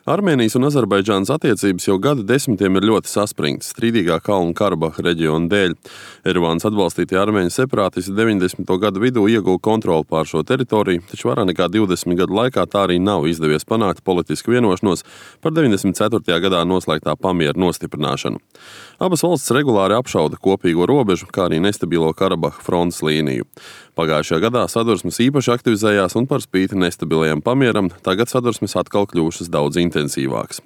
Armēnijas un Azerbaidžānas attiecības jau gadu desmitiem ir ļoti saspringtas strīdīgā Kalnu-Karabaha reģiona dēļ. Erevānas atbalstītie armēņu separātisti 90. gadu vidū ieguva kontroli pār šo teritoriju, taču vairāk nekā 20 gadu laikā tā arī nav izdevies panākt politisku vienošanos par 94. gadā noslēgtā pamiera nostiprināšanu. Abas valstis regulāri apšauda kopīgo robežu, kā arī nestabilo Karabaha frontes līniju. Pagājušajā gadā sadursmes īpaši aktivizējās un par spīti nestabilajam pamieram tagad sadursmes atkal kļuvušas daudz intensīvākas.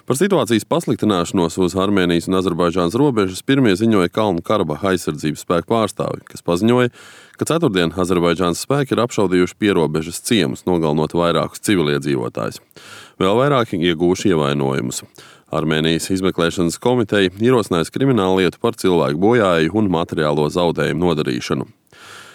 Par situācijas pasliktināšanos uz Armēnijas un Azerbaidžānas robežas pirmie ziņoja Kalnu-Karabaha aizsardzības spēku pārstāvi, kas paziņoja, ka ceturtdien Azerbaidžānas spēki ir apšaudījuši pierobežas ciemus, nogalinot vairākus civiliedzīvotājus. Vēl vairāki ieguvuši ievainojumus. Armēnijas izmeklēšanas komiteja ierosinājusi krimināllietu par cilvēku bojāju un materiālo zaudējumu nodarīšanu.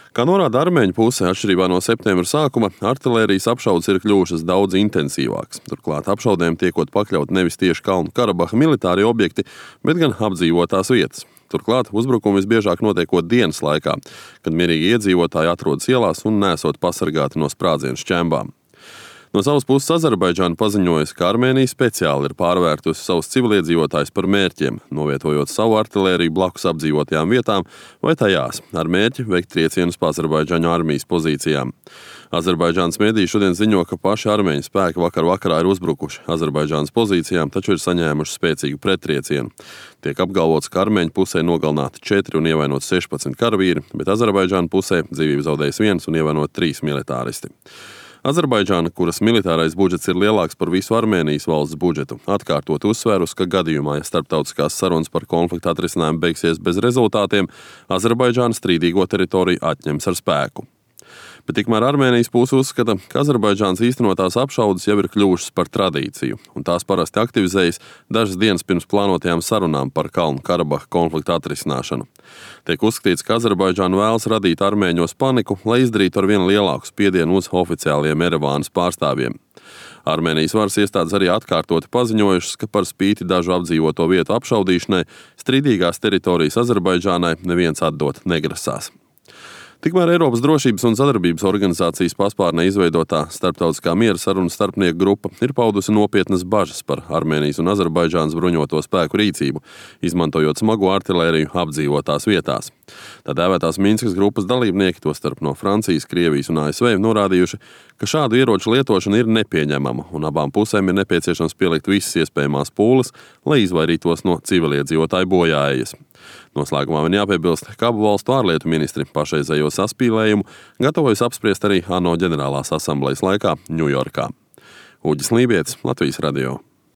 Kā norāda armēņu puse, atšķirībā no septembra sākuma, artilērijas apšaudes ir kļuvušas daudz intensīvākas. Turklāt apšaudēm tiekot pakļaut nevis tieši Kalnu-Karabaha militārie objekti, bet gan apdzīvotās vietas. Turklāt uzbrukumi visbiežāk notiekot dienas laikā, kad mierīgi iedzīvotāji atrodas ielās un nesot pasargāti no sprādzienu šķembām. No savas puses Azerbaidžāna paziņojusi, ka Armēnija speciāli ir pārvērtusi savus civiliedzīvotājus par mērķiem, novietojot savu artilēriju blakus apdzīvotajām vietām vai tajās ar mērķi veikt triecienus pa Azerbaidžāņu armijas pozīcijām. Azerbaidžānas mediji šodien ziņo, ka paši armēņu spēki vakarā ir uzbrukuši Azerbaidžānas pozīcijām, taču ir saņēmuši spēcīgu prettriecienu. Tiek apgalvots, ka armēņu pusē nogalināti 4 un ievainot 16 karavīri, bet Azerbaidžāna pusē dzīvību zaudējis 1 un ievainot 3 militāristi. Azerbaidžāna, kuras militārais budžets ir lielāks par visu Armēnijas valsts budžetu, atkārtot uzsvērus, ka gadījumā, ja starptautiskās sarunas par konfliktu atrisinājumu beigsies bez rezultātiem, Azerbaidžāna strīdīgo teritoriju atņems ar spēku. Bet tikmēr Armēnijas puse uzskata, ka Azerbaidžānas īstenotās apšaudes jau ir kļuvušas par tradīciju, un tās parasti aktivizējas dažas dienas pirms plānotajām sarunām par Kalnu-Karabaha konfliktu atrisināšanu. Tiek uzskatīts, ka Azerbaidžāna vēlas radīt armēņos paniku, lai izdarītu ar vien lielāku spiedienu uz oficiāliem Erevānas pārstāvjiem. Armēnijas varas iestādes arī atkārtoti paziņojušas, ka par spīti dažu apdzīvoto vietu apšaudīšanai strīdīgās teritorijas Azerbaidžānai neviens atdot negrasās. Tikmēr Eiropas drošības un sadarbības organizācijas paspārnē izveidotā starptautiskā miera sarunu starpnieku grupa ir paudusi nopietnas bažas par Armēnijas un Azerbaidžānas bruņoto spēku rīcību, izmantojot smago artilēriju apdzīvotās vietās. Tā dēvētās Minskas grupas dalībnieki, tostarp no Francijas, Krievijas un ASV, norādījuši, ka šādu ieroču lietošana ir nepieņemama un abām pusēm ir nepieciešams pielikt visas iespējamās pūles, lai izvairītos no civiliedzīvotāju bojājas. Noslēgumā man jāpiebilst, ka abu valstu ārlietu ministri pašreizējo saspīlējumu gatavojas apspriest arī ANO ģenerālās asamblejas laikā Ņujorkā. Uģis Lībietis, Latvijas radio.